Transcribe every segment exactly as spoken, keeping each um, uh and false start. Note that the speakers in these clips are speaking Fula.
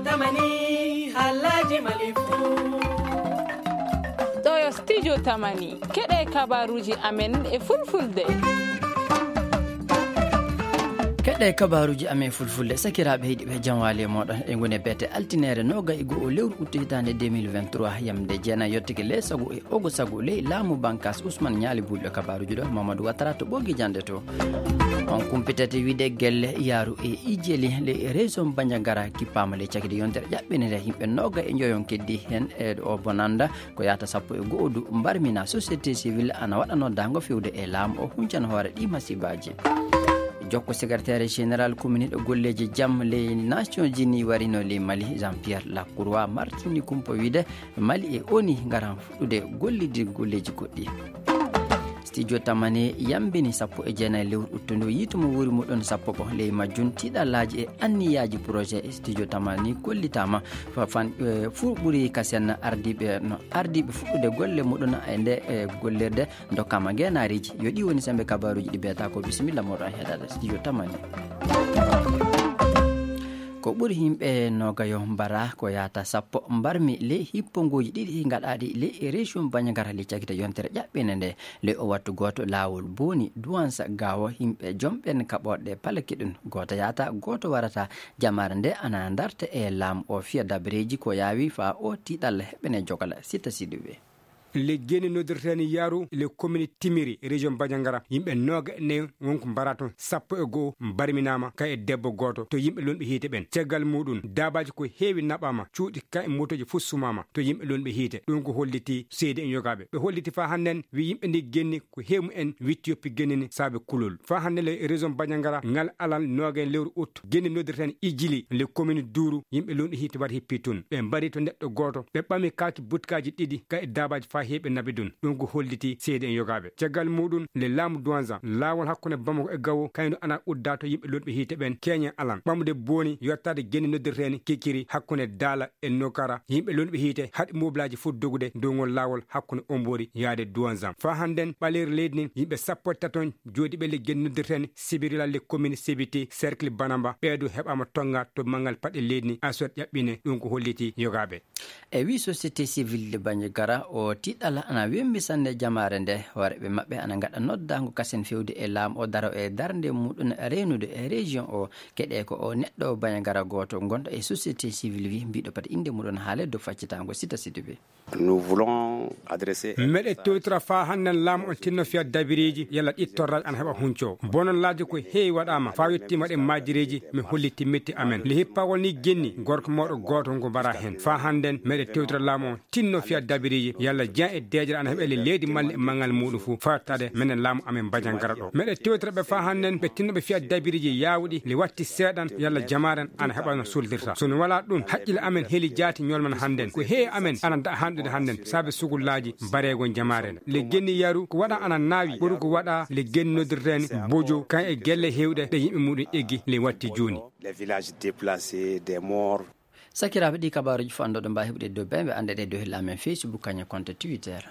Tamani, halaji malifu. Ɗo yo studio Tamani. Keɗe kabaruji amen e fulfulde. Keɗe kabaruji amen e fulfulde. Sakiraaɓe heɗiiɓe, jam waali e mooɗon. E ngoni e beete altinere noga e go'o lewru uttu hitaande deux mille vingt-trois, yamde jeenayi yottake le sago e ogo sago ley laamu bankas Usman Ñaali Bulɗo. Kabaruji ɗo Mamadou Watara to ɓogi jande to. On kumpitete wiide gelle yaaru e ijeli le région Bandiagara kippaama le cagide yontere ƴaɓɓinere yimɓe noga e njoyon keddi hen e o bonanda ko yahata sappo e go'o du mbarmina société civile ana waɗa noddaango fewde e laamu o huncana hoore ɗi masibaji. Jokko secrétaire général communiɗo golleji jam ley Nations Unies warino ley Mali Jean Pierre Lacroix martini kumpo wiide Mali e oni ngaran fuɗɗude gollidi golleji goɗɗi. Studio Tamani yambini sappo e jeenayi lewru uttundu yiitu mo wuuri muɗon sappo ko ley majjun tiɗalaji e anniyaji projet studio Tamani kollitama fa- fan- eh, fuu ɓuri kasen ardiɓe no ardiɓe fuɗɗude golle muɗon e nde e gollirde dokkama ngenaariji. Yo ɗi woni sembe kabaruji ɗi beeta ko bisimilla moɗon heɗade studio Tamani. Ko ɓuri yimɓe nogayo mbara ko yahata sappo mbarmi ley hipponguji ɗiɗi gaɗaɗi ley région Bandiagara ley cagita yontere ƴaɓɓinde nde. Ley o wattu goto lawol boni duwansa gawo yimɓe jomɓen kaɓorɗe palaki ɗum goto yahata goto warata. Jamare nde ana darta e laamu o fiya dabreji ko yawi fa o tiɗal heɓene jogala sita siduɓe. Le geni noddirteni yaru le commune timiri région Bandiagara yimɓe noga ne wonko mbara toon sappo e go'o mbarminama ka e debbo goto to yimɓe lonɓe hiite ɓen. Caggal muɗum dabaji ko heewi naɓama cuuɗi ka e motoji fof sumama to yimɓe lonɓe hiite. Ɗum ko holliti seedi en yogaɓe ɓe holliti fa hannden wi yimɓe ndi genni ko heewi en witti yoppi genni ni saabe kulol fa hannden le région Bandiagara ngal alal noga e lewru août genni noddirten ijili le commune duuru yimɓe lonɗi hiite war hippi tun ɓe mbari to neɗɗo goto ɓe ɓami kaaki butkaji ɗiɗi ka e dabaji fa heeɓe nabi ɗum. Ɗum ko holliti seedi en yogaɓe caggal muɗum le laamu duwanza laawol hakkunde bamako e gawo kayno ana udda to yimɓe lonɓe hiite ɓen keñe alan ɓamude boni yottade genni noddirteni kikiri hakkunde daala e nokara yimɓe lonɓe hiite haɗi mobilaji fof dogude dow ngol laawol hakkunde ombori yaade duwanzam fa hannden ɓaleeri leydi nin yimɓe sappo e taton jooɗiɓe le genni noddirteni sibirila le commune sibiti cercle banamba ɓeedo heɓama tonga to mangal paɗe leydi ni aswat ƴaɓɓine. Ɗum ko holliti yogaɓe. E wi société civile de Bandiagara o tiɗɗal ana wembi sanne jamaare nde hooreɓe maɓɓe ana gaɗa noddago kasen fewde e laamu o daro e darde muɗum rewnude e région o keɗe ko o neɗɗo Bandiagara goto gonɗo e société civile wi mbiɗo pata inde muɗum haale dow faccitango sita siduɓe. Nous voulons adresser meɗe tewtira fa hannden laamu on tinno fiya dabiriji yalla ɗi torraji ana heɓa hunco bonon laaji ko heewi waɗama fa yettima ɗe majireji mi holliti metti amen le hippawol ni genni gorko mawɗo goto ngo mbara hen fa hannden meɗe tewtira laamu on tinno fiya dabiriji yalla jean e deejere ana heɓele leydi malle e mangal muɗum fof fattade menen laamu amen Bandiagara ɗo meɗe tewtira ɓe fa hannden ɓe tinnoɓe fiya dabiriji yawuɗi le watti seeɗan yalla jamaren ana heɓa no soldirta sono wala ɗum haqqille amen heli jaati ñolman hannden ko heewi amen ana da hanɗude hannden saabe sugullaji mbareego jamaren le genni yaru ko waɗa ana naawi ɓuri ko waɗa le genni noddirten bojo kan e gelle hewɗe ɗe yimɓe muɗum eggi le watti joni. Les villages déplacés, des morts. Sakiraaɓe ɗi kabaaruji fof anndoɗo mbawi heɓude dow ɓe ɓe anndeɗe dow hilla amen Facebook kañum konto Twitter.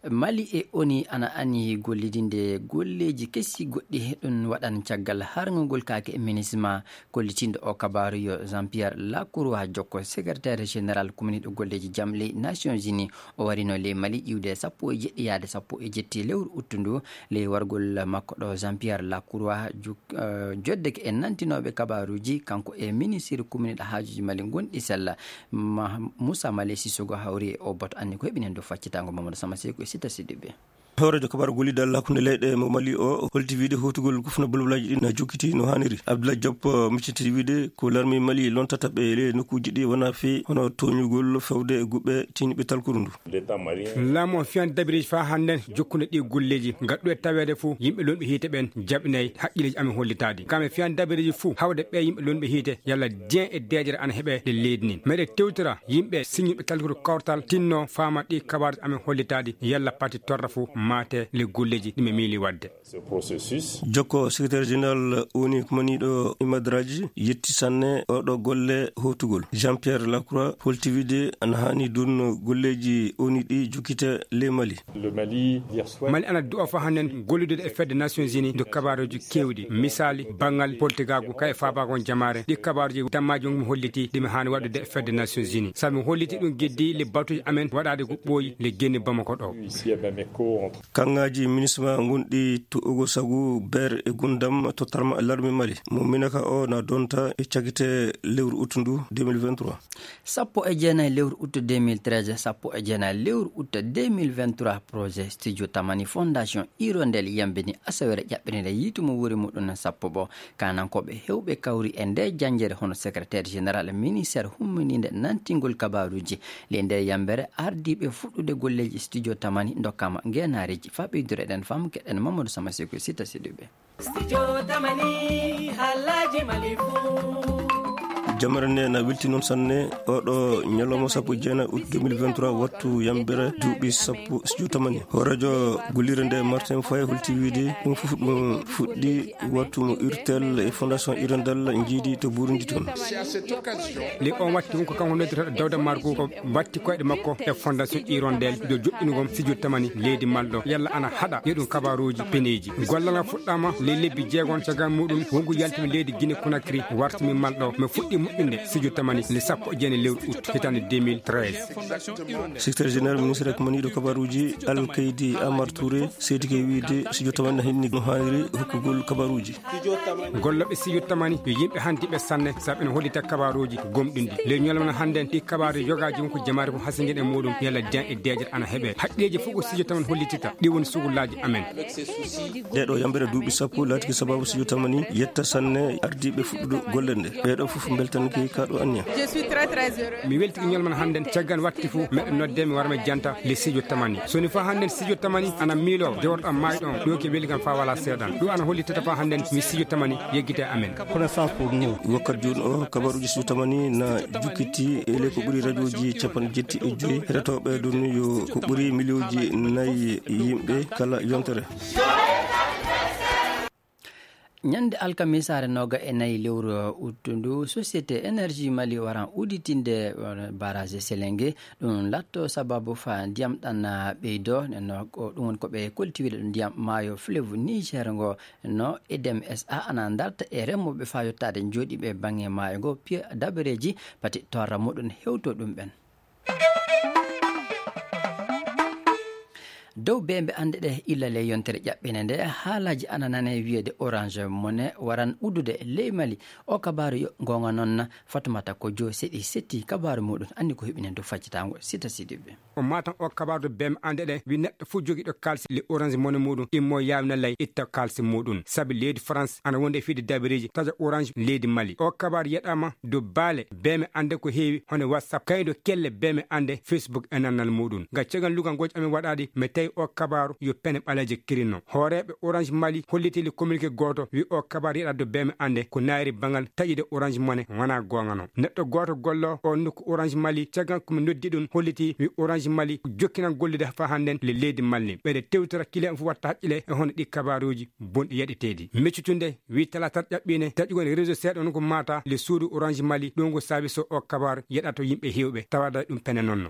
Mali e oni ana ani gollidinde golleji kesi goɗɗi ɗum waɗan caggal harngol kaake e minisma kollitinɗo o kabaaru yo Jean Pierre Lacroix jokko secrétaire général communiɗo golleji jam ley Nations Unies o warino ley Mali iwde sappo e jeɗɗi yaade sappo e jetti lewru uttu ndu. Ley wargol makko ɗo Jean Pierre Lacroix joddeke e nantinoɓe kabaruji kanko e ministre communiɗo haajuji Mali gonɗi sella. Moussa Malé Sissogo hawri e o boto anni ko heɓinen dow faccitango Mamadou Sama Seyko e Sita Sidibé. Hooreejo kabaru gollidal hakkunde leyɗe mo Mali o holti wiide hotugol kufna bolbolaji ɗi na jokkiti no haniri. Abdoulaye Diop micciti wiide ko larmi Mali lontata ɓe le nokkuji ɗi wona fee hono toñugol fewde e guɓɓe tiñɓe talkuru ndu. Laamu o fiyan dabiriji fa hannden jokkunde ɗi golleji gaɗɗu e taweede fof yimɓe lonɓe hiite ɓen jaɓinay haqqileji amen hollitaade kam e fiyan dabiriji fof hawde ɓe yimɓe lonɓe hiite yalla dien e deejere ana heɓe nde leydi nin meɗe tewtira yimɓe siñuɓe talkuru kawtal tinno faama ɗi kabaruji amen hollitaade yalla pati torra fof. maate le golleeji ɗi ɓe miili waɗde. Jokko, secrétaire général O N U kumaniiɗo e madraji yetti sanne oɗo golle hootugol. Jean-Pierre Lacroix holti wiide ana haani ɗun golleeji O N U ɗi jokkite ley Mali. Mali ana du'a fa hannden gollude e fedde Nations Unies nder kabaruuji keewɗi. Misaali, banngal politigaagu, ka e faabaago on jamaare. Ɗi kabaruuji dammaaji on mi holliti ɗi mi haani waɗude e fedde Nations Unies. Sabi mi holliti ɗun geddi le batuuji amen waɗaade ko ɓooyi le genni Bamako ɗo. Kaŋŋaaji minisma ngonɗi to Ogo Sagu, Beer e Gundam tottarma e larme Mali. Mo Minaka o na donta e cakite lewru ut ndu deux mille vingt-trois. Sappo e jeenayi lewru ut deux mille treize, sappo e jeenayi lewru ut deux mille vingt-trois, projet Studio Tamani Fondation Hirondelle yambini asawere ƴaɓɓirinde yiitu mo wuuri muɗum sappo ɓo. Kanankooɓe hewɓe kawri e nde janjere hono secrétaire général ministère hummininde nantingol kabaruuji. Le nde yambere ardiiɓe fuɗɗude golleeji Studio Tamani ndokkama ngeenaareeji. Fa ɓeydure ɗen fam keɗen Mamadou Sama Seko Sita Sidibe. Studio Tamani, haalaaji Mali fuu. Jamare nde na welti noon sanne. Oɗo ñalawma sappo e jeenayi ut deux mille vingt-trois, wattu yambere duuɓi sappo Studio Tamani. Hooreejo gollirde nde Martin Faye holti wiide ɗum fof ɗum fuɗɗi wattu mo Urtel e Fondation Hirondelle njiidi to Burundi toon. Le on watti won ko kanko noddirta Dawda Margu ko watti koyɗe makko e Fondation Hirondelle yo joɗɗinugol Studio Tamani leydi Mali ɗo. Yalla ana haɗa yo ɗum kabaruuji peneeji. Gollal ngal fuɗɗaama le lebbi jeegon, caggal muɗum wongu yaltimi leydi Guinée Conakry, wartimi Mali ɗo. Mi fuɗɗi moƴƴinde Studio Tamani le sappo e jeenayi lewru ut hitaande deux mille treize. Secrétaire général ministre kumaniiɗo kabaruuji Alkaydi Amar Touré seedike wiide Studio Tamani na hinni no haaniri hokkugol kabaruuji. Gollooɓe Studio Tamani yo yimɓe handiiɓe sanne, sabu ene hollita kabaruuji gomɗinɗi. Le ñalawma hannden ɗi kabaaru yogaaji won ko jamaare fof hasingen e muɗum, yalla den e deeƴere ana heɓe. Haqqeeji fof ko Studio Tamani hollitita, ɗi woni sugullaaji amen. Ɗeɗo yambere duuɓi sappo laatiki sababu Studio Tamani yetta sanne ardiiɓe fuɗɗude golle nde. Ɓeɗo fof mbeltanki kaɗo anniya. Mi welti ko ñalawma hannden, caggal watti fof meɗen nodde mi wara mi janta le Studio Tamani. So ni fa hannden Studio Tamani ana miilo jawrɗo am maayi ɗon, ɗo ke weli kam fa wala seeɗan. Ɗum ana hollitata fa hannden mi Studio Tamani yeggite amen. Wakkati jooni o kabaruuji Studio Tamani na jukkiti e le ko ɓuri radiooji capanɗe jetti e joyi heɗotooɓe ɗum yo ko ɓuri miliyonji nayi yimɓe kala yontere. Ñande alkamisaare nooga e nayi lewru ut ndu, Société Énergie Mali waran udditinde, eh, barrage Selenge. Ɗum latto sababu fa ndiyam ɗan, ah, ɓeydo. Nenno ko ɗum woni ko ɓe kolti wiide ɗum ndiyam maayo fleuve Niger ngo. No E D M S A ana darta e remooɓe fa yottaade jooɗiiɓe baŋŋe maayo ngo, piya dabareeji pati torra muɗum hewto ɗum ɓen. Dow beembe annde ɗe illa le yontere ƴaɓɓine nde, haalaaji ana nane wiyeede Orange Money waran uddude ley Mali. O kabaaru yo goonga noon, Fatumata ko jo seɗi setti kabaaru muɗum, anndi ko heɓinen dow faccitaango Sita Sidibe. O maatan o kabaaru dow beembe annde ɗe, wi neɗɗo fof jogiiɗo kaalisi le Orange Money muɗum, immo yaawna ley itta kaalisi muɗum. Sabi leydi France ana wonde e fiide dabareeji taƴa Orange leydi Mali. O kabaaru yeɗaama dow baale beembe annde ko heewi, hono WhatsApp, kaydo kelle beembe annde, Facebook e nannal muɗum. Nga cegan lugal ngooji amin waɗaɗi, mi tawi o kabaaru yo pene ɓaleeje kirinno. Hooreeɓe Orange Mali holliti le communiqué gooto, wi o kabaaru yeɗa dow beembe annde ko naayiri bangal taƴude Orange Money wona goonga no. Neɗɗo gooto gollo o nokku Orange Mali, caggal ko mi noddi ɗum, holliti wi Orange Mali jokkinan gollude fa hannden le leydi Mali. Ɓeɗe tewtora kile on fof watta haqqile e hono ɗi kabaaruuji bonɗi yaɗeteeɗi. Meccutunde wi talaata ƴaɓɓine taƴugol réseau seeɗa on ko maata le suudu Orange Mali, ɗo ngo saabi so o kabaaru yeɗato yimɓe heewɓe tawada ɗum pene noon no.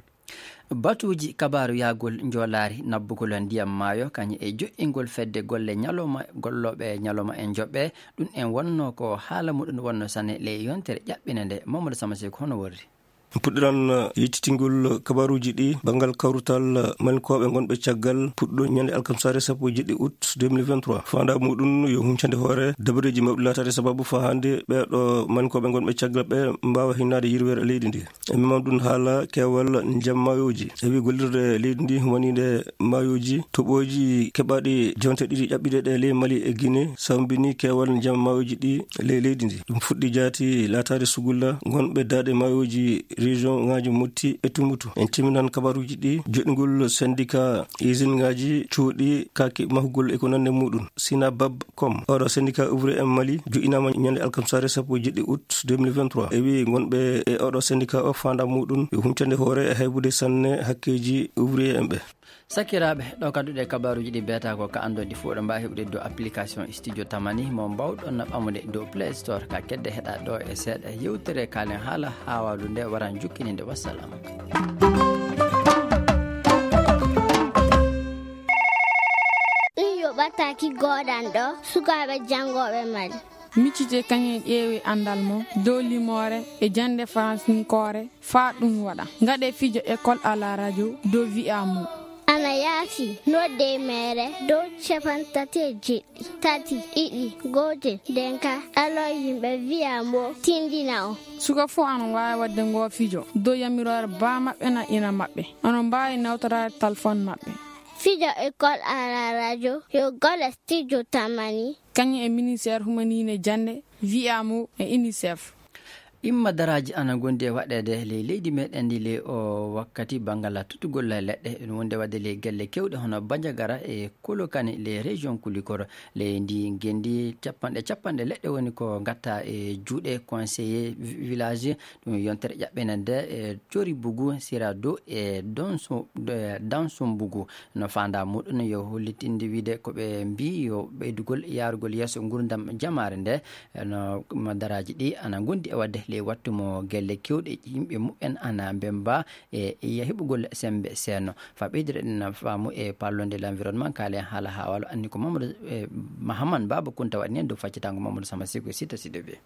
Batuuji kabaaru yahgol njoolaari nabbugol ndiyam maayo, kañum e joƴƴingol fedde golle ñalawma, gollooɓe ñalawma en joɓɓe, ɗum en wonno ko haala muɗum wonno sane le yontere ƴaɓɓine nde. Mamadou Sama Seko, hono worri? Puɗɗiran yettitingol kabaaruuji ɗi banngal kawrutal Malinkooɓe ngonɓe caggal puɗɗo ñande alkamsaare sappo e jeɗɗi août deux mille vingt-trois. Faandaa muɗum yo huncande hoore dabareeji mawɗi laataade sababu faa hannde ɓeeɗo Malinkooɓe ngonɓe caggal ɓe mbaawa hinnaade yirweere leydi ndi. E mimam ɗum haala keewal njam maayooji. E wi gollirde leydi ndi humaniinde maayooji, toɓooji keɓaaɗi jonte ɗiɗi ƴaɓɓiɗe ɗe ley Mali e Guinée sawmbini keewal njam maayooji ɗi ley leydi ndi. Ɗum fuɗɗi jaati laataade sugulla ngonɓe daaɗe maayooji région ŋaaji Motti e Tumbutu. En timminan kabaruuji ɗi joɗɗingol syndicat usine ŋaaji cuuɗi kaaki mahugol e ko nanndi muɗum. Sina Bab Kom, oɗo syndicat ouvrier en Mali, joɗɗinaama ñande alkamsaare sappo e jeɗɗi août deux mille vingt-trois. E wi ngonɓe e oɗo syndicat o faandaa muɗum yo huncande hoore e haybude sanne hakkeeji ouvrier en ɓe. Sakiraaɓe, ɗo kadduɗe kabaaruuji ɗi beeta ko ka anndon ɗi fof ɗo mbaawi heɓude dow application Studio Tamani mo mbaawɗon na ɓamude dow Play Store ka kedde heɗa ɗo e seeɗa yewtere kaalen haala haawaalu nde waran jukkininde. Wassalam. Ɗum yo ɓattaki gooɗan ɗo sukaaɓe janngooɓe Mali. Miccite kañum ƴeewi anndal mum dow limoore e jannde faransinkoore faa ɗum waɗa. Ngaɗe fijo école à la radio dow wi'a mum. Ana yaafi nodde mere dow capantati e jeɗɗi, tati, ɗiɗi, gootel, denka, alo yimɓe wi'a mo tindina o. Suka fof ana waawi waɗde ngoo fijo dow yamiroore baa maɓɓe na ina maɓɓe. Onon mbaawi nawtoraade telefon maɓɓe. Fijo école à la radio yo golle Studio Tamani. Kañum e ministère humaniine jannde, wi'a mo e UNICEF. Imma daraaji ana ngondi e waɗeede ley leydi meɗen ndi ley o wakkati banngal tuttugol leɗɗe, ɗum wonde waɗde ley gelle kewɗe hono Bandiagara e Kolokani ley région Kulikoro. Ley ndi ngendi capanɗe capanɗe leɗɗe woni ko ngatta e juuɗe conseiller vi-, village. Ɗum yontere ƴaɓɓene nde e Cori Bugu, Sira Dow e Donso, e Danso Mbugu. No faanda muɗum yo hollitinde wiide ko ɓe mbii yo ɓeydugol yaarugol yeeso ngurdam jamaare nde. No daraaji ɗi ana ngondi e waɗde ley wattu mo gelle kewɗe yimɓe muɓɓen ana mbemba e heɓugol sembe seenno. Fa ɓeydire ɗen faamu e parlonde l'environnement, kaalen haala haawaalu anni ko Mamadou, eh, Mahaman Baba Kunta waɗi nen dow faccitango Mamadou Sama Sigo Sita Sidobe.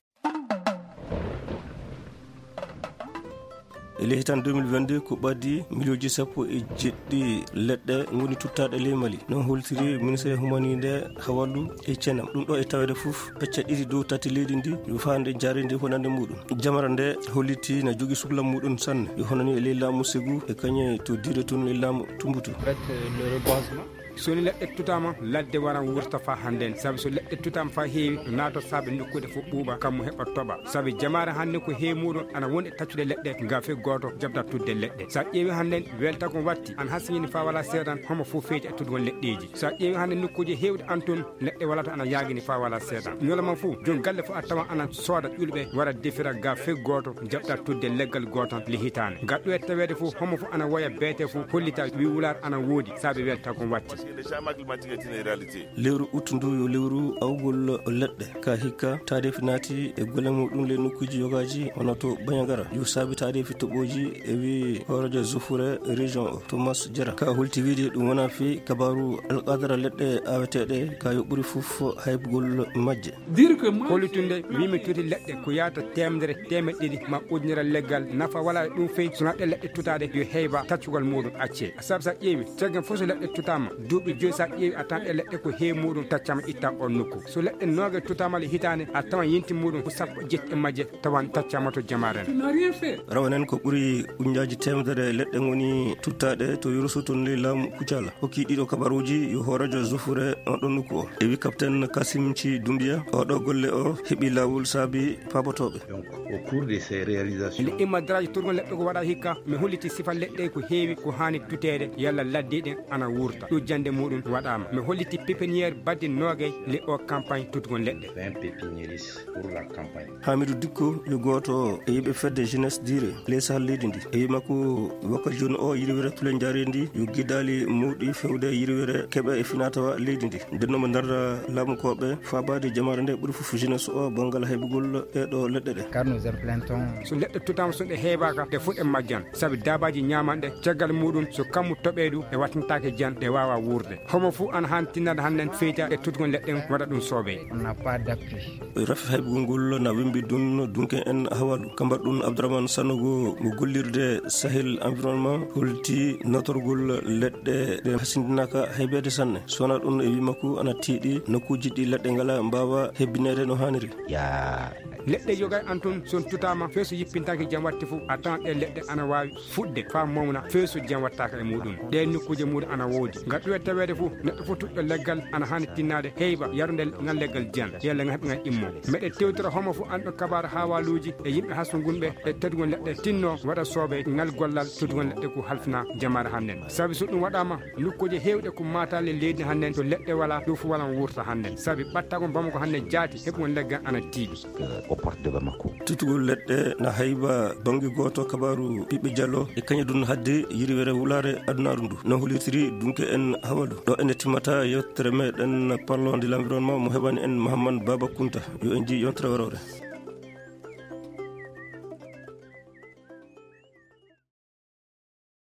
E ley hitan deux mille vingt-deux, ko ɓaddi miliyonji sappo e jeɗɗi leɗɗe ngoni tuttaaɗe ley Mali. Non holtiri ministre humaninde hawallu e cenam. Ɗum ɗo e taweede fof, pecce ɗiɗi dow tati leydi ndi, yo faande jaarindi honande muɗum. Jamara nde holliti na jogi sukla muɗum sanne. Yo honani e ley laamu Segu e kañe to dire tun e laamu Tumbutu. Peut-être, euh, le reboisement. So ni leɗɗe tutaama, ladde waran wurta faa hannden. Sabi so leɗɗe tutaama faa heewi, no naato saabe nokkude fof ɓuuɓa, kammu heɓa toɓa. Sabi jamaare hannde ko heewi muuɗum ana woni e taccude leɗɗe, ngam fii gooto jaɓda tudde leɗɗe. So a ƴeewi hannden, welta ko watti, ana hasiyini faa wala seedan, homo fof feyti e tudgol leɗɗeeji. So a ƴeewi hannde nokkuuje heewɗe an tun, leɗɗe wala to ana yaagini faa wala seedan. Ñalawma fof, joom galle fof a tawan ana sooda ƴulɓe, wara defira ga fii gooto, jaɓda tudde leggal gootal le hitaande. Gaɗɗo e taweede fof, homo fof ana woya beete fof, hollita wi wulaar ana woodi, saabe welta ko watti. Parce que le changement climatique est une réalité. Lewru ut ndu yo lewru awgol leɗɗe. Ka hikka, taadeefi naati e golle muɗum le nokkuuji yogaaji, hono to Bandiagara. Yo saabi taadeefi toɓooji e wi hooreejo Zofure région o, Thomas Jara. Ka holti wiide ɗum wona fii kabaaru alqadara leɗɗe aaweteeɗe, ka yo ɓuri fof haybugol majje. Hollitunde, wii mi tuti leɗɗe ko yaata teemedere, teemeɗɗe ɗiɗi, ma ujunere leggal, nafa wala e ɗum fey, so naɗɗe leɗɗe tutaaɗe, yo heyba taccugol muɗum accee. Sabu so a ƴeewi, caggal fof so leɗɗe tutaama, duuɓi joyi so a ƴeewi, a tan ɗe leɗɗe ko heewi muɗum taccama itta on nokku. So leɗɗe noogay tutaama le hitaande, a tawan yinti muɗum ko sappo e jetti e majje tawan taccama to jamaare nde. Rawanen ko ɓuri ujunnaaji teemedere leɗɗe ngoni tuttaaɗe to Yoroso toon ley laamu Kucala. Hokki ɗiɗo kabaruuji yo hooreejo Zofure on ɗon nokku o. E wi Kapten Kasim Ci Dumbiya, oɗo golle o heɓi laawol saabi paabotooɓe. Donc, au cours de ces réalisations. Nde imma daraaji turgol leɗɗe ko waɗa hikka, mi holliti sifa leɗɗe ko heewi ko haani tuteede, yalla ladde ɗen ana wurta. Ɗo jannde muɗum waɗaama. Mi holliti pépinière badde noogay le o campagne tutgol leɗɗe. Vingt pépiniéristes pour la campagne. Hamidou Dikko yo gooto e yiɓe fedde jeunesse dire ley sahal leydi ndi. E wi makko, wakka jooni o yirwere tule njaareendi yo gidaali mawɗi fewde yirwere keɓa e finatawa leydi ndi. Nden no mo darda laamukooɓe faabaade jamaare nde ɓuri fof jeunesse o banngal haybugol ɗeɗo leɗɗe ɗe. Car nous implantons. So leɗɗe tutaama, so ɗe heebaaka, ɗe fof ɗe majjan. Sabi daabaaji ñaamanɗe, caggal muɗum, so kammu toɓee ɗum, ɗe wattintaake jan, ɗe waawa wuurde. Homo fof ana haani tinnade hannden feyta e tutgol leɗɗe ɗen, waɗa ɗum soobee. On n'a pas d'appui. Rafi haybugol ngol na wembi ɗum dunke en hawalu. Kambar ɗum Abdourahmane Sanogo mo gollirde Sahel Environnement holti natorgol leɗɗe ɗe hasindinaka haybeede sanne. Sona ɗum e wi makko ana tiiɗi nokkuuji ɗi leɗɗe ngala mbaawa hebbineede no haaniri. Ya. Leɗɗe yogay an tun son tutaama fee so yippintaake jam watti fof a tawan ɗe leɗɗe ana waawi fuɗde faa mawna fee so jam wattaaka e muɗum. Ɗeen nokkuuje muɗum ana woodi. Ngal ɗuwe taweede fof, neɗɗo fof tuɗɗo leggal ana haani tinnaade heyba yarunde ngal leggal jam, yalla ngal heɓi ngal immo. Meɗe tewtira homo fof anɗo kabaar haawaaluuji e yimɓe hastungunɓe e tedgol leɗɗe tinno waɗa soobee ngal gollal tedgol leɗɗe ko halfina jamaare hannden. Sabi so ɗum waɗaama, nokkuuje heewɗe ko maataale leydi hannden, to leɗɗe walaa, ɗum fof walan wuurta hannden. Sabi ɓattaago Bamako hannden jaati, heɓugol leggal ana tiiɗi. Au port de Bamako. Tutugol leɗɗe na hayba bannge gooto kabaaru ɓiɓɓe jalo e kañe ɗum hadde yirwere wulaare adunaaru ndu. No holitiri dunke en hawalu. Ɗo ene timmata yewtere meɗen parlons de l'environnement mo heɓani en Mahamman Baba Kunta. Yo en nji yontere warore.